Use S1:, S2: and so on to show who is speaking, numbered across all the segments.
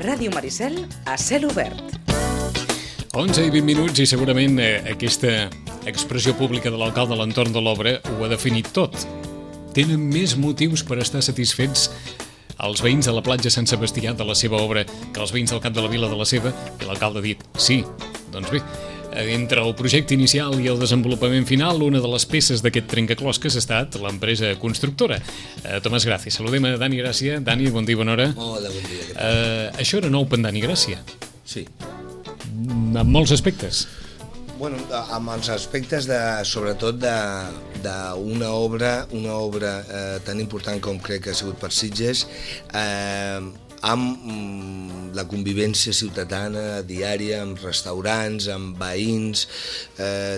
S1: Ràdio Maricel, a cel obert.
S2: 11 i 20 minuts i segurament aquesta expressió pública de l'alcalde a l'entorn de l'obra ho ha definit tot. Tenen més motius per estar satisfets els veïns de la platja Sant Sebastià de la seva obra que els veïns del cap de la vila de la seva, i l'alcalde ha dit sí. Doncs bé, entre el projecte inicial i el desenvolupament final, una de les peces d'aquest trencaclosques ha estat l'empresa constructora. Tomàs Gràcia. Saludem a Dani Gràcia. Dani, bon dia, bona hora.
S3: Hola, bon dia.
S2: Això era nou per Dani Gràcia.
S3: Sí.
S2: En molts aspectes.
S3: Bueno, amb els aspectes sobretot d'una obra tan important com crec que ha sigut per Sitges, amb la convivència ciutadana diària, amb restaurants, amb veïns.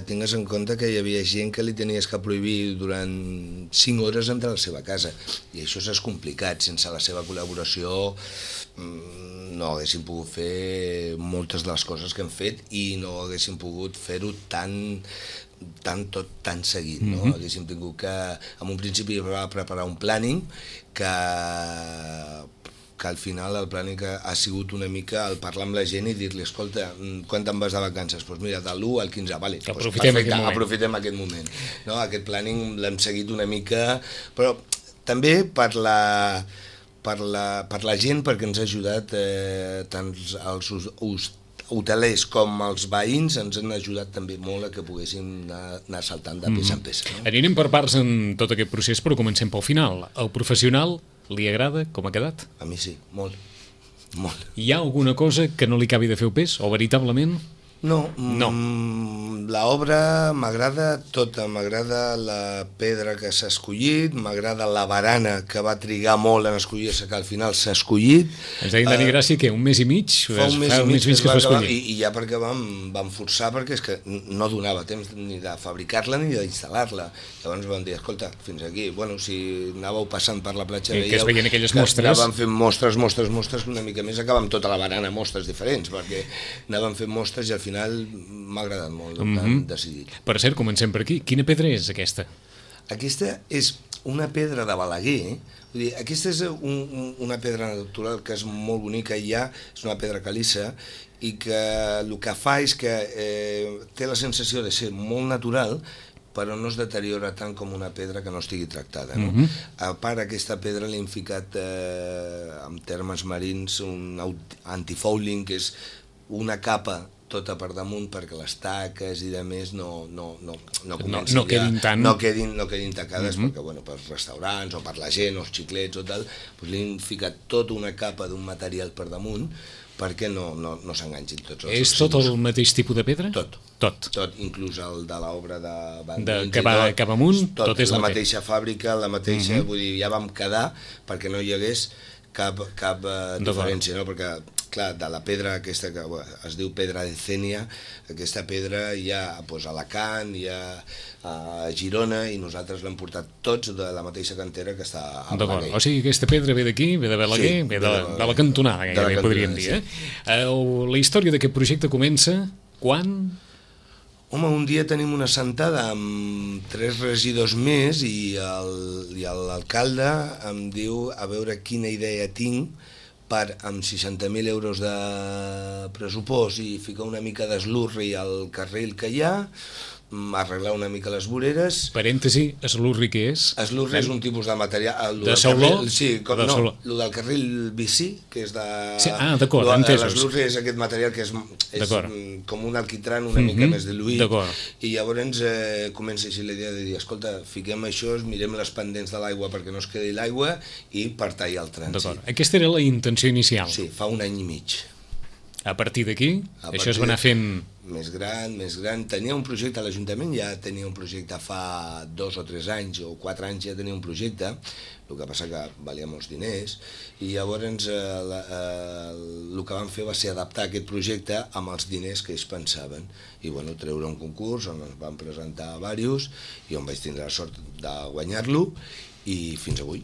S3: Tingues en compte que hi havia gent que li tenies que prohibir durant 5 hores entrar a la seva casa, i això s'ha complicat. Sense la seva col·laboració no haguéssim pogut fer moltes de les coses que hem fet, i no haguéssim pogut fer-ho tan seguit, no? Haguéssim tingut que, en un principi, preparar un planning que al final el planning ha sigut una mica el parlar amb la gent i dir-li, escolta, quan te'n vas de vacances? Doncs mira, de l'1 al 15, vale. Aprofitem aquest moment. No, aquest planning l'hem seguit una mica, però també per la gent, perquè ens ha ajudat tant els hotelers com els veïns, ens han ajudat també molt a que poguéssim anar saltant de peça en peça.
S2: Anirem per parts en tot aquest procés, però comencem pel final. El professional li agrada com ha quedat?
S3: A mi sí, molt.
S2: Hi ha alguna cosa que no li acabi de fer el pes, o veritablement?
S3: No. L'obra m'agrada tota, m'agrada la pedra que s'ha escollit, m'agrada la barana que va trigar molt en escollir-se, que al final s'ha escollit.
S2: Ens deien, Dani Gràcia, que un mes i mig?
S3: Fa un mes i mig que es va escollir. I ja perquè vam forçar, perquè és que no donava temps ni de fabricar-la ni d'instal·lar-la. Llavors vam dir, escolta, fins aquí. Bueno, si anàveu passant per la platja,
S2: que es veien aquelles mostres.
S3: Anàvem fent mostres, una mica més, acabàvem tota la barana, mostres diferents, perquè anàvem fent mostres i al final m'ha agradat molt, tan decidit.
S2: Per cert, comencem per aquí. Quina pedra és aquesta?
S3: Aquesta és una pedra de Balaguer. Vull dir, aquesta és una pedra natural que és molt bonica, i és una pedra calissa, i que el que fa és que té la sensació de ser molt natural, però no es deteriora tant com una pedra que no estigui tractada. No? A part, aquesta pedra li hem ficat, en termes marins, un antifouling, que és una capa tota per damunt, perquè les taques i de més no quedin tacades, perquè pels restaurants o per la gent, o els xiclets o tal, doncs li hem ficat tota una capa d'un material per damunt perquè no s'enganxin tots els...
S2: És tot el mateix tipus de pedra?
S3: Tot, inclús el de l'obra de Van Dins,
S2: que va cap amunt, tot és
S3: la mateixa fàbrica, la mateixa, vull dir, ja vam quedar perquè no hi hagués cap diferència, no? Perquè, clar, de la pedra aquesta que es diu pedra de Cènia, aquesta pedra hi ha a Alacant, hi ha a Girona, i nosaltres l'hem portat tots de la mateixa cantera que està a Balaguer.
S2: O sigui, aquesta pedra ve d'aquí, ve de Balaguer, ve de la cantonada, que podríem dir. La història d'aquest projecte comença quan?
S3: Home, un dia tenim una assentada amb 3 regidors més i l'alcalde em diu a veure quina idea tinc per, amb 60.000 euros de pressupost, i ficar una mica d'eslurri al carril que hi ha, arreglar una mica les voreres.
S2: Parèntesi, eslurri què és?
S3: Eslurri és un tipus de material...
S2: De sauló?
S3: Sí, no, el del carril bici, que és de...
S2: D'acord, entesos.
S3: L'eslurri és aquest material que és com un alquitran una mica més diluït. I llavors comença així la idea de dir, escolta, fiquem això, mirem les pendents de l'aigua perquè no es quedi l'aigua, i per tallar el trànsit.
S2: D'acord. Aquesta era la intenció inicial?
S3: Sí, fa 1 any i mig.
S2: A partir d'aquí, això es va anar fent...
S3: Més gran. Tenia un projecte a l'Ajuntament, ja tenia un projecte fa 2 o 3 anys, o 4 anys ja tenia un projecte, el que passa que valia molts diners, i llavors el que vam fer va ser adaptar aquest projecte amb els diners que ells pensaven, i treure un concurs on ens van presentar diversos, i on vaig tindre la sort de guanyar-lo, i fins avui,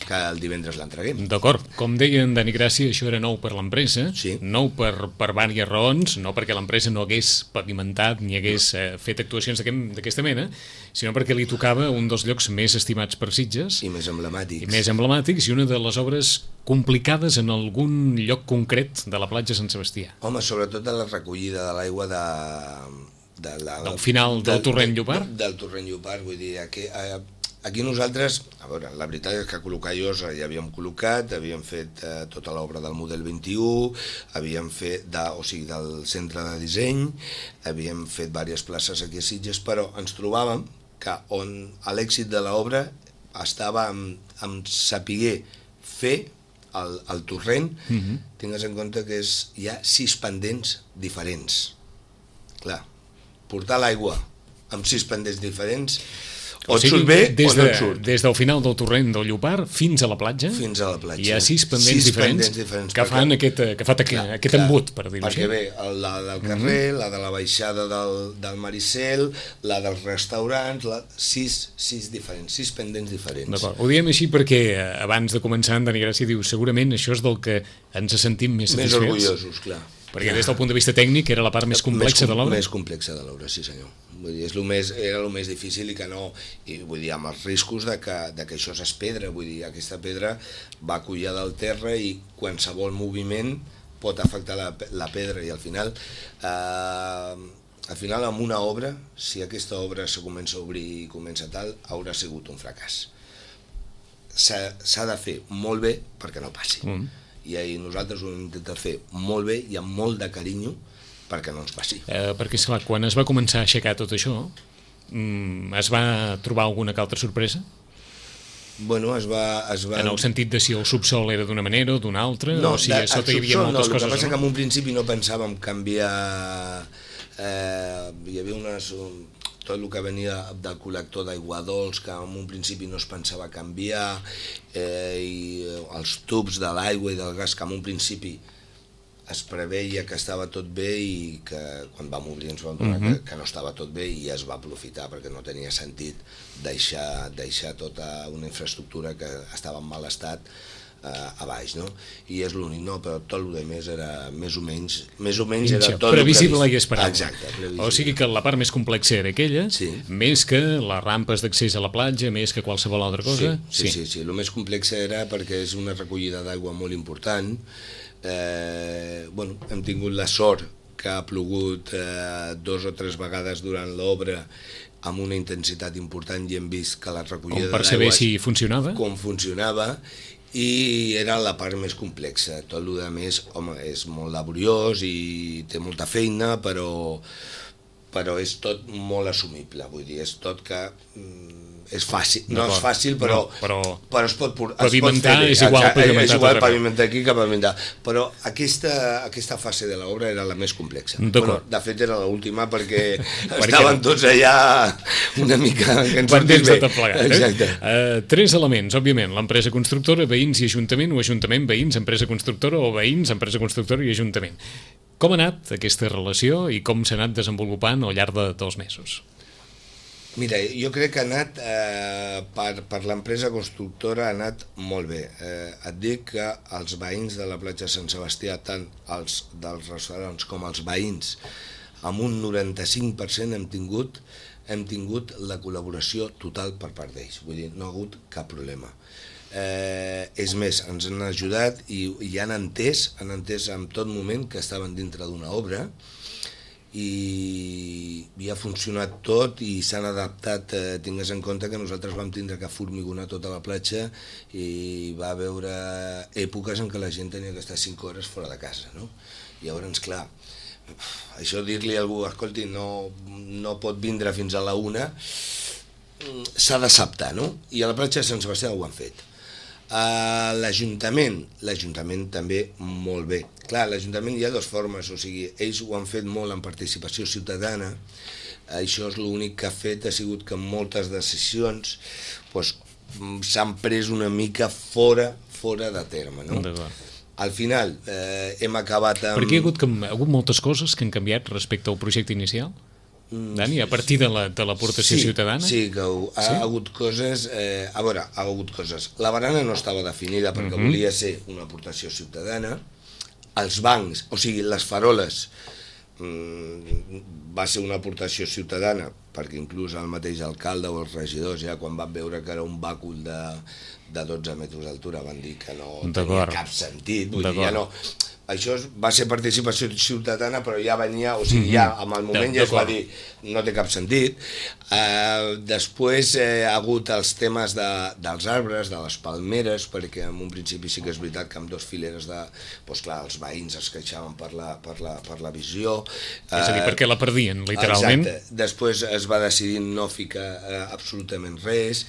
S3: que el divendres l'entreguem.
S2: D'acord. Com deia en Dani Gràcia, això era nou per l'empresa,
S3: Sí.
S2: nou per diverses raons, no perquè l'empresa no hagués pavimentat ni hagués fet actuacions d'aquesta mena, sinó perquè li tocava un dels llocs més estimats per Sitges
S3: I més emblemàtics.
S2: i una de les obres complicades en algun lloc concret de la platja Sant Sebastià.
S3: Home, sobretot de la recollida de l'aigua
S2: Del final del torrent Llopart?
S3: Del torrent Llopart, vull dir, aquí nosaltres, a veure, la veritat és que col·locar llosa ja havíem col·locat, havíem fet tota l'obra del model 21, havíem fet, del centre de disseny, havíem fet diverses places aquí a Sitges, però ens trobàvem que on l'èxit de l'obra estava en saber fer el torrent, tingues en compte que hi ha 6 pendents diferents. Clar, portar l'aigua amb 6 pendents diferents, o et surt bé o no et surt.
S2: Des del final del torrent del Llopart fins a la platja, hi ha 6 pendents diferents que fan aquest embut, per dir-ho així.
S3: Perquè ve la del carrer, la de la baixada del Maricel, la dels restaurants, 6 diferents, 6 pendents diferents.
S2: D'acord. Ho diem així perquè abans de començar en Dani Gràcia diu segurament això és del que ens sentim més satisfets.
S3: Més orgullosos, clar.
S2: Perquè des del punt de vista tècnic era la part més complexa de l'obra?
S3: Més complexa de l'obra, sí senyor. Vull dir, era el més difícil i que no, i vull dir, amb els riscos de que això és pedra, vull dir, aquesta pedra va collada al terra i qualsevol moviment pot afectar la pedra i al final amb una obra, si aquesta obra se comença a obrir i comença tal, haurà sigut un fracàs. S'ha de fer molt bé perquè no passi. I nosaltres ho hem intentat fer molt bé i amb molt de carinyo perquè no ens passi.
S2: Perquè, esclar, quan es va començar a aixecar tot això, es va trobar alguna altra sorpresa?
S3: Bueno, es va...
S2: En el sentit de si el subsol era d'una manera o d'una altra, o si a sota hi havia moltes coses.
S3: El que passa que en un principi no pensàvem canviar... Hi havia tot el que venia del col·lector d'aigua dolç, que en un principi no es pensava canviar, i els tubs de l'aigua i del gas, que en un principi es preveia que estava tot bé i que quan vam obrir ens vam donar que no estava tot bé i es va aprofitar perquè no tenia sentit deixar tota una infraestructura que estava en mal estat a baix, no? I és l'únic, no? Però tot el que més era més o menys era tot
S2: previsible i esperable.
S3: Exacte, previsible.
S2: O sigui que la part més complexa era aquella, més que les rampes d'accés a la platja, més que qualsevol altra cosa.
S3: Sí. El més complex era perquè és una recollida d'aigua molt important. Hem tingut la sort que ha plogut 2 o 3 vegades durant l'obra amb una intensitat important i hem vist que la recollida d'aigua...
S2: Com per saber si funcionava?
S3: Com funcionava, i era la part més complexa. Tot el que més, home, és molt laboriós i té molta feina, però és tot molt assumible, vull dir, és tot que és fàcil, no és fàcil, però es pot
S2: pavimentar
S3: fer bé.
S2: És igual pavimentar.
S3: És igual pavimentar aquí que pavimentar, però aquesta fase de l'obra era la més complexa. De fet era l'última perquè estaven tots allà una mica que ens sortim bé.
S2: Exacte. 3 elements, òbviament, l'empresa constructora, veïns i ajuntament, o ajuntament, veïns, empresa constructora, o veïns, empresa constructora i ajuntament. Com ha anat aquesta relació i com s'ha anat desenvolupant al llarg dels mesos?
S3: Mira, jo crec que ha anat, per l'empresa constructora ha anat molt bé. Et dic que els veïns de la platja Sant Sebastià, tant els dels restaurants com els veïns, amb un 95% hem tingut la col·laboració total per part d'ells. Vull dir, no ha hagut cap problema. És més, ens han ajudat i han entès en tot moment que estaven dintre d'una obra i ha funcionat tot i s'han adaptat. Tingues en compte que nosaltres vam tindre que formigonar tota la platja i va haver èpoques en què la gent tenia que estar 5 hores fora de casa, no? I llavors, clar, això dir-li a algú, escolti, no pot vindre fins a la 1, s'ha d'acceptar, no? I a la platja de Sant Sebastià ho han fet. L'Ajuntament també molt bé. Clar, l'Ajuntament hi ha 2 formes, o sigui, ells ho han fet molt en participació ciutadana, això és l'únic que ha fet, ha sigut que moltes decisions s'han pres una mica fora de terme, no? Al final hem acabat amb...
S2: Perquè hi ha hagut moltes coses que han canviat respecte al projecte inicial? Dani, a partir de l'aportació ciutadana?
S3: Sí, que ha hagut coses... a veure, ha hagut coses. La barana no estava definida perquè volia ser una aportació ciutadana. Els bancs, o sigui, les faroles, va ser una aportació ciutadana perquè inclús el mateix alcalde o els regidors ja quan van veure que era un bàcul de 12 metres d'altura van dir que no tenia cap sentit, vull dir, ja no... Això va ser participació ciutadana, però ja venia, o sigui, ja amb el moment ja es va dir no té cap sentit. Després ha hagut els temes dels arbres, de les palmeres, perquè en un principi sí que és veritat que amb 2 fileres de... Doncs clar, els veïns es queixaven per la visió.
S2: És a dir, perquè la perdien, literalment.
S3: Exacte. Després es va decidir no ficar absolutament res.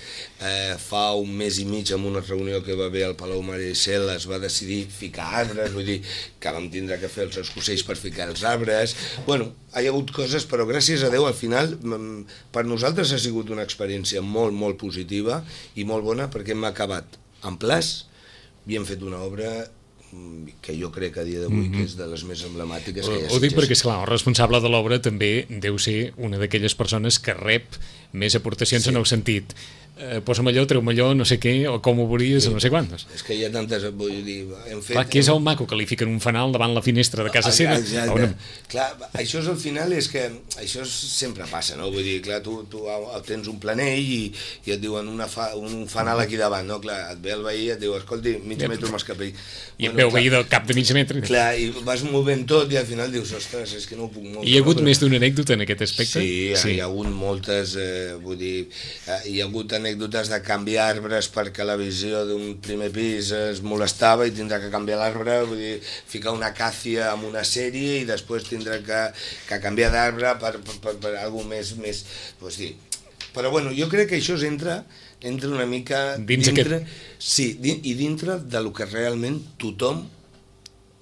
S3: Fa un mes i mig, en una reunió que va haver al Palau Maricel, es va decidir ficar arbres, vull dir, que vam tindre que fer els escocells per ficar els arbres. Bueno, hi ha hagut coses, però gràcies a Déu, al final, per nosaltres ha sigut una experiència molt, molt positiva i molt bona, perquè hem acabat en plaç i hem fet una obra que jo crec que a dia d'avui que és de les més emblemàtiques que hi ha.
S2: Ho dic perquè, esclar, el responsable de l'obra també deu ser una d'aquelles persones que rep més aportacions en el sentit posa'm allò, treu-me allò, no sé què, o com ho veuries, no sé quantes.
S3: És que hi ha tantes, vull dir, hem fet...
S2: Clar, que és el maco que li fiquen un fanal davant la finestra de casa seva.
S3: Clar, això és al final, és que això sempre passa, no? Vull dir, clar, tu tens un planell i et diuen un fanal aquí davant, no? Clar, et ve el veí i et diu, escolti, mig metre m'escapell.
S2: I et veu veí del cap de mig metre.
S3: Clar, i vas movent tot i al final dius, ostres, és que no ho puc moure.
S2: Hi ha hagut més d'una anècdota en aquest aspecte?
S3: Sí, hi ha hagut moltes, vull dir, hi ha hagut anècdotes de canviar arbres perquè la visió d'un primer pis es molestava i tindrà que canviar l'arbre, vull dir, ficar una acàcia amb una sèrie i després tindrà que canviar d'arbre per alguna més... Pues dir. Però bueno, jo crec que això entra una mica dintre... Sí, i dintre del que realment tothom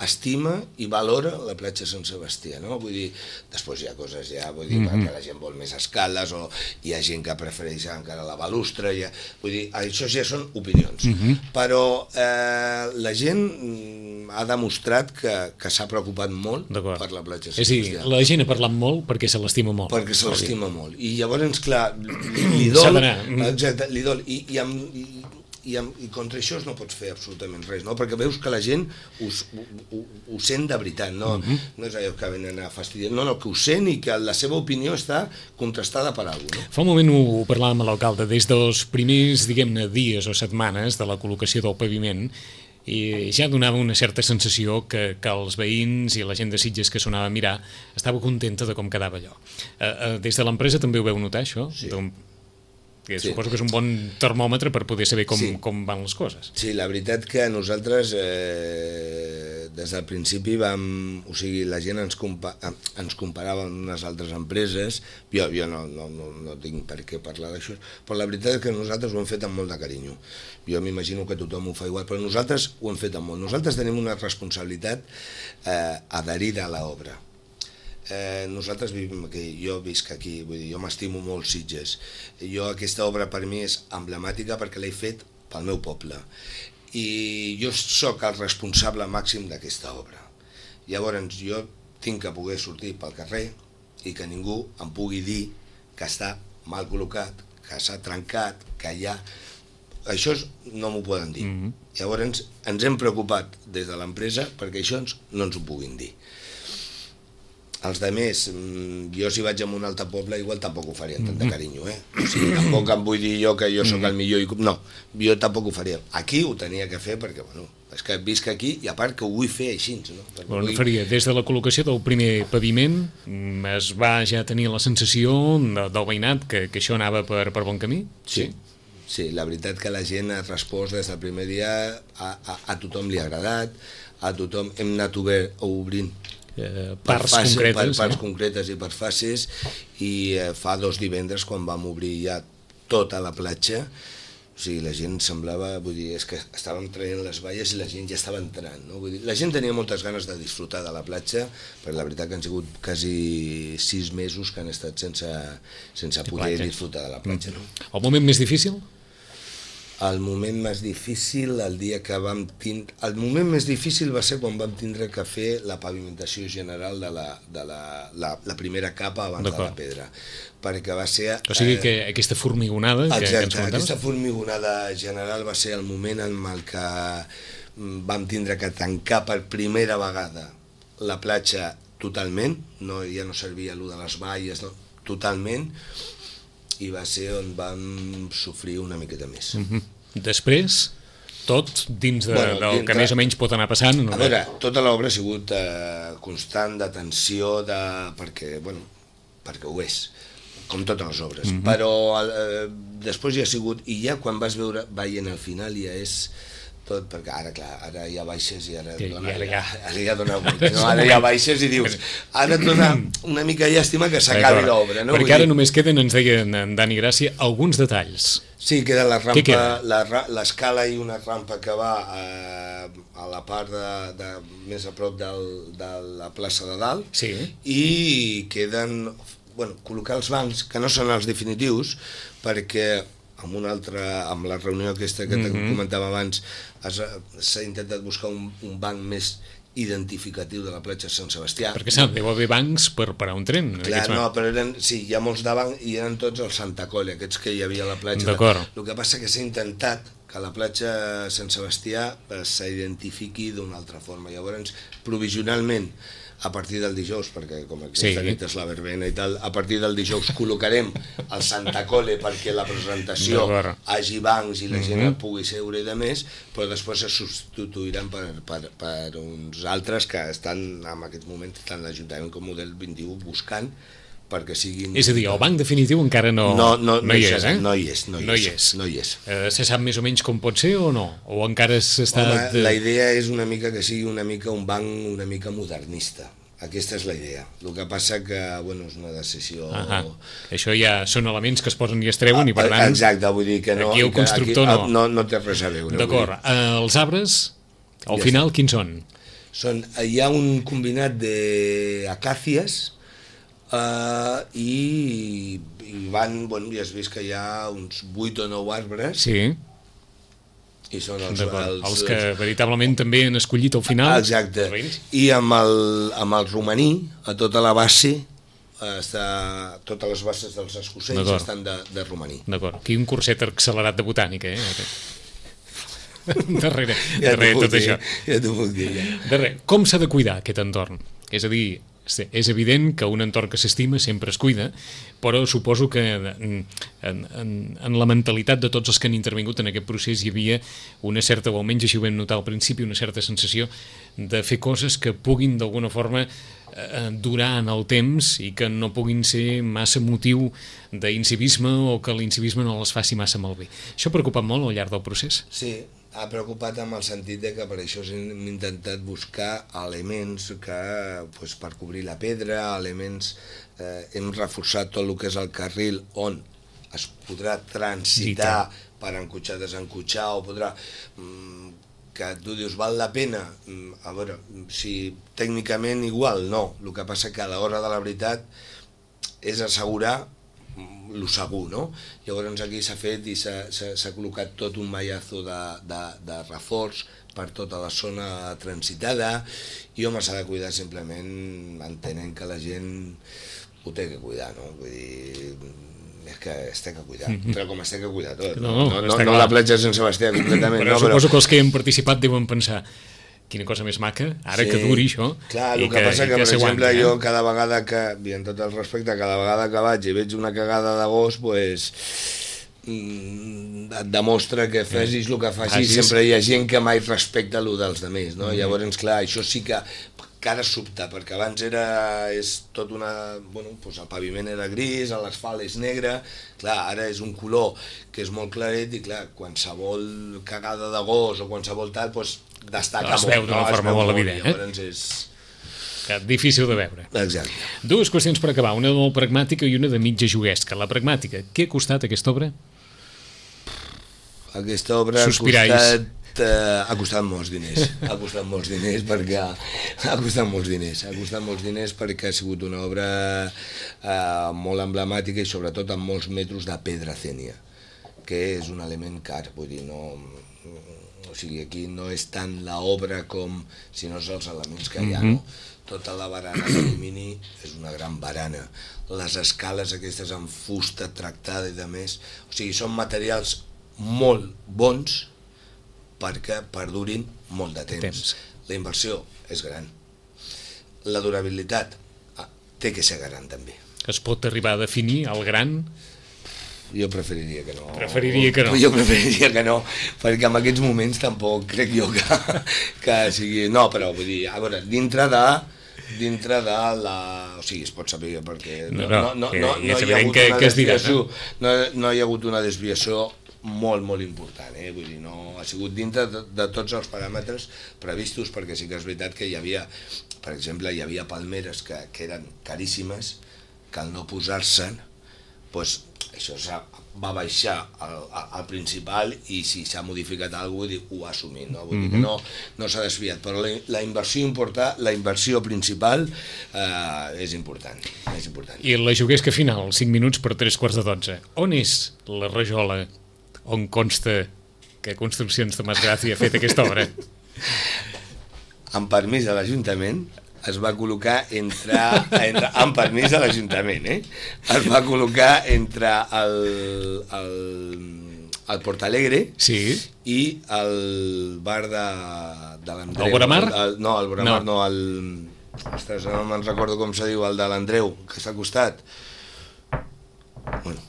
S3: estima i valora la platja Sant Sebastià, no? Vull dir, després hi ha coses vull dir, perquè la gent vol més escales o hi ha gent que prefereix encara la balustra, vull dir, això ja són opinions. Però la gent ha demostrat que s'ha preocupat molt per la platja Sant Sebastià.
S2: És a dir, la gent ha parlat molt perquè se l'estima molt.
S3: Perquè se l'estima molt. I llavors, clar, li dol... Exacte, li dol. I contra això no pots fer absolutament res, no? Perquè veus que la gent ho sent de veritat, no és allò que venen a fastidiar, no, que ho sent i que la seva opinió està contrastada per alguna cosa.
S2: Fa un moment ho parlàvem amb l'alcalde, des dels primers, diguem-ne, dies o setmanes de la col·locació del paviment, i ja donava una certa sensació que els veïns i la gent de Sitges que s'ho anava a mirar estava contenta de com quedava allò. Des de l'empresa també ho veu notar, això? Sí. Que suposo que és un bon termòmetre per poder saber com van les coses.
S3: Sí, la veritat que nosaltres des del principi o sigui, la gent ens comparava amb unes altres empreses, jo no tinc per què parlar d'això, però la veritat és que nosaltres ho hem fet amb molt de carinyo. Jo m'imagino que tothom ho fa igual, però nosaltres ho hem fet amb molt. Nosaltres tenim una responsabilitat adherida a l'obra. Nosaltres vivim aquí, jo visc aquí, vull dir, jo m'estimo molt Sitges. Aquesta obra per mi és emblemàtica perquè l'he fet pel meu poble i jo sóc el responsable màxim d'aquesta obra. Llavors jo tinc que poder sortir pel carrer i que ningú em pugui dir que està mal col·locat, que s'ha trencat, que hi ha... Això no m'ho poden dir. Llavors ens hem preocupat des de l'empresa perquè això no ens ho puguin dir. Els altres, jo si vaig a un altre poble igual tampoc ho faria amb tant de carinyo, O sigui, tampoc em vull dir jo que jo sóc el millor, no, jo tampoc ho faria. Aquí ho tenia que fer perquè, bueno, és que visc aquí i a part que ho vull fer així, no?
S2: Bueno, faria, des de la col·locació del primer paviment es va ja tenir la sensació del veïnat que això anava per bon camí?
S3: Sí, la veritat que la gent ha respost des del primer dia, a tothom li ha agradat, a tothom hem anat obrint
S2: parts
S3: concretes i per fases i fa 2 divendres quan vam obrir ja tota la platja, o sigui, la gent semblava, vull dir, és que estàvem traient les valles i la gent ja estava entrant, no? Vull dir, la gent tenia moltes ganes de disfrutar de la platja, però la veritat que han sigut quasi 6 mesos que han estat sense poder disfrutar de la platja, no?
S2: El moment més difícil?
S3: El moment més difícil, el dia que vam tindre... El moment més difícil va ser quan vam tindre que fer la pavimentació general de la primera capa abans de la pedra. Perquè va ser...
S2: O sigui que aquesta formigonada que ens comentaves...
S3: Aquesta formigonada general va ser el moment en el que vam tindre que tancar per primera vegada la platja totalment, ja no servia allò de les valles, no, totalment, i va ser on vam sofrir una miqueta més.
S2: Després, tot dins del que més o menys pot anar passant.
S3: A veure, tota l'obra ha sigut constant de tensió, perquè ho és, com totes les obres, però després ja ha sigut, i ja quan vas veient al final ja és tot, perquè ara hi ha baixes i ara ja dona molt, no? Ara hi ha baixes i dius, ara et dona una mica llàstima que s'acabi l'obra, no?
S2: Perquè ara només queden, ens deia en Dani Gràcia, alguns detalls.
S3: Sí, queda la rampa, l'escala i una rampa que va a la part més a prop de la plaça de dalt, i queden, col·locar els bancs, que no són els definitius, perquè amb la reunió aquesta que comentava abans, s'ha intentat buscar un banc més identificatiu de la platja de Sant Sebastià.
S2: Perquè deu haver bancs per parar un tren.
S3: Clar, no, però hi ha molts de bancs i eren tots els Santa Cole, aquests que hi havia a la platja.
S2: D'acord.
S3: El que passa que s'ha intentat que la platja de Sant Sebastià s'identifiqui d'una altra forma. Llavors, provisionalment, a partir del dijous, perquè com aquesta nit és la verbena i tal, a partir del dijous col·locarem el Santa Cole perquè la presentació hagi bancs i la gent pugui seure i de més, però després se substituiran per uns altres que estan en aquest moment, tant l'Ajuntament com Model 21, buscant perquè siguin...
S2: És a dir, el banc definitiu encara no hi és, eh?
S3: No hi és.
S2: Se sap més o menys com pot ser o no? O encara s'està...
S3: La idea és una mica que sigui un banc una mica modernista. Aquesta és la idea. El que passa que, és una decisió...
S2: Això ja són elements que es posen i es treuen i per tant...
S3: Exacte, vull dir que no...
S2: Aquí el constructor
S3: no té res a veure.
S2: D'acord. Els arbres, al final, quins són?
S3: Hi ha un combinat d'acàcies, i van, ja has vist que hi ha uns 8 o 9 arbres.
S2: Sí.
S3: I són
S2: els que veritablement també han escollit al final.
S3: Exacte. I amb el romaní, a tota la base, totes les bases dels escocells estan de romaní.
S2: D'acord. Aquí un curset accelerat de botànica, darrere tot això.
S3: Ja t'ho puc dir, ja.
S2: Com s'ha de cuidar aquest entorn? És a dir, és evident que un entorn que s'estima sempre es cuida, però suposo que en la mentalitat de tots els que han intervingut en aquest procés hi havia una certa, o almenys així ho vam notar al principi, una certa sensació de fer coses que puguin d'alguna forma durar en el temps i que no puguin ser massa motiu d'incivisme o que l'incivisme no les faci massa malbé. Això ha preocupat molt al llarg del procés?
S3: Sí, ha preocupat amb el sentit de que per això hem intentat buscar elements que, per cobrir la pedra, hem reforçat tot el que és el carril on es podrà transitar per encotxar, desencotxar, o podrà... que tu dius, val la pena? A veure, si tècnicament igual, no. El que passa que a l'hora de la veritat és assegurar lo segur, no? Llavors aquí s'ha fet i s'ha col·locat tot un mallazo de reforç per tota la zona transitada i s'ha de cuidar simplement entenent que la gent ho té que cuidar, no? Vull dir, és que es té que cuidar, però com es té que cuidar tot, no la platja de Sant Sebastià completament.
S2: Però suposo que els que hi han participat deuen pensar quina cosa més maca, ara que duri això.
S3: Clar, el que passa que, per exemple, jo cada vegada que, i en tot el respecte, cada vegada que vaig i veig una cagada de gos, doncs et demostra que facis el que facis, sempre hi ha gent que mai respecta el dels altres, no? Llavors, clar, això sí que ara sobta, perquè abans és tot una... el paviment era gris, l'asfalt és negre, clar, ara és un color que és molt claret i, clar, qualsevol cagada de gos o qualsevol tal, destaca molt.
S2: Es veu d'una forma molt evident,
S3: llavors és...
S2: Difícil de veure.
S3: Exacte.
S2: Dues qüestions per acabar, una de molt pragmàtica i una de mitja juguesca. La pragmàtica, què ha costat aquesta obra?
S3: Aquesta obra ha costat molts diners, perquè ha sigut una obra molt emblemàtica i sobretot amb molts metres de pedra cènia. que és un element car, vull dir, no... O sigui, aquí no és tant l'obra com, sinó els elements que hi ha, no? Tota la barana d'alumini és una gran barana. Les escales aquestes en fusta tractada i de més, o sigui, són materials molt bons perquè perdurin molt de temps. La inversió és gran. La durabilitat té que ser gran també.
S2: Es pot arribar a definir el gran?
S3: Jo preferiria que no.
S2: Preferiria que no.
S3: Jo preferiria que no, perquè en aquests moments tampoc crec jo que sigui... No, però vull dir, a veure, dintre de la... O sigui, es pot saber perquè no hi ha hagut una desviació, no hi ha hagut una desviació molt important, vull dir, no ha sigut dintre de tots els paràmetres previstos, perquè sí que és veritat que hi havia, per exemple, hi havia palmeres que eren caríssimes, que al no posar-se'n, doncs això va baixar al principal, i si s'ha modificat alguna cosa, ho ha assumit, no? Vull dir que no s'ha desviat, però la inversió principal és important.
S2: I la juguesca final, 5 minuts per 3:15. On és la rajola on consta que Construccions Tomàs Gràcia ha fet aquesta obra?
S3: Amb permís de l'Ajuntament, es va col·locar amb permís de l'Ajuntament, es va col·locar entre el Portalegre i el bar de l'Andreu.
S2: El Boramar?
S3: No, el Boramar no, ostres, no me'n recordo com se diu, el de l'Andreu, que està al costat. Bueno,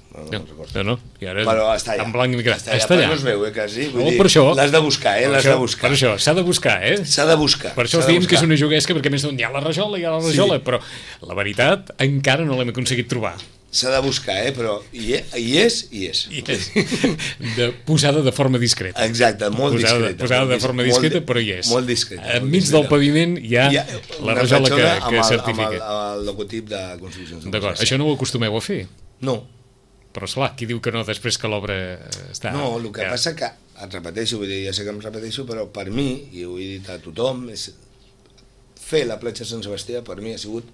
S2: no, i ara
S3: però està allà,
S2: en blanc i negre.
S3: està allà. No es veu, quasi.
S2: Per això
S3: l'has de buscar, l'has de buscar.
S2: Per això, s'ha de buscar,
S3: S'ha de buscar.
S2: Per això us diem que és una juguesca, perquè més d'on hi ha la rajola, però la veritat encara no l'hem aconseguit trobar.
S3: S'ha de buscar, però hi és.
S2: Posada de forma discreta.
S3: Exacte, molt discreta.
S2: Posada de forma discreta, però hi és.
S3: Molt discreta.
S2: Enmig del paviment hi ha la rajola que certifica.
S3: Amb el logotip de Construccions.
S2: D'acord, això no ho acostumeu a fer?
S3: No.
S2: Però, esclar, qui diu que no després que l'obra està...
S3: No, el que passa que, et repeteixo, vull dir, ja sé que em repeteixo, però per mi, i ho he dit a tothom, fer la platja Sant Sebastià per mi ha sigut,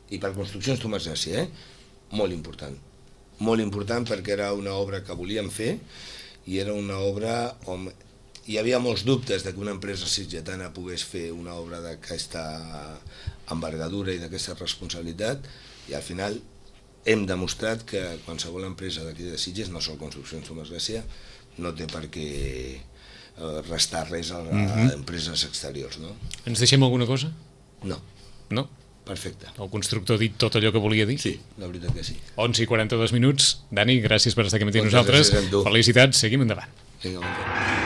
S3: i per Construccions Tomàs Gràcia, molt important. Molt important perquè era una obra que volíem fer, i era una obra on hi havia molts dubtes de que una empresa sitgetana pogués fer una obra d'aquesta envergadura i d'aquesta responsabilitat, i al final hem demostrat que qualsevol empresa d'aquí de Sitges, no sol Construccions Tomàs Gràcia, no té per què restar res a empreses exteriors, no?
S2: Ens deixem alguna cosa?
S3: No.
S2: No?
S3: Perfecte.
S2: El constructor ha dit tot allò que volia dir?
S3: Sí, la veritat que sí.
S2: 11:42. Dani, gràcies per estar aquí amb nosaltres. Felicitats, seguim endavant.
S3: Vinga, bon dia.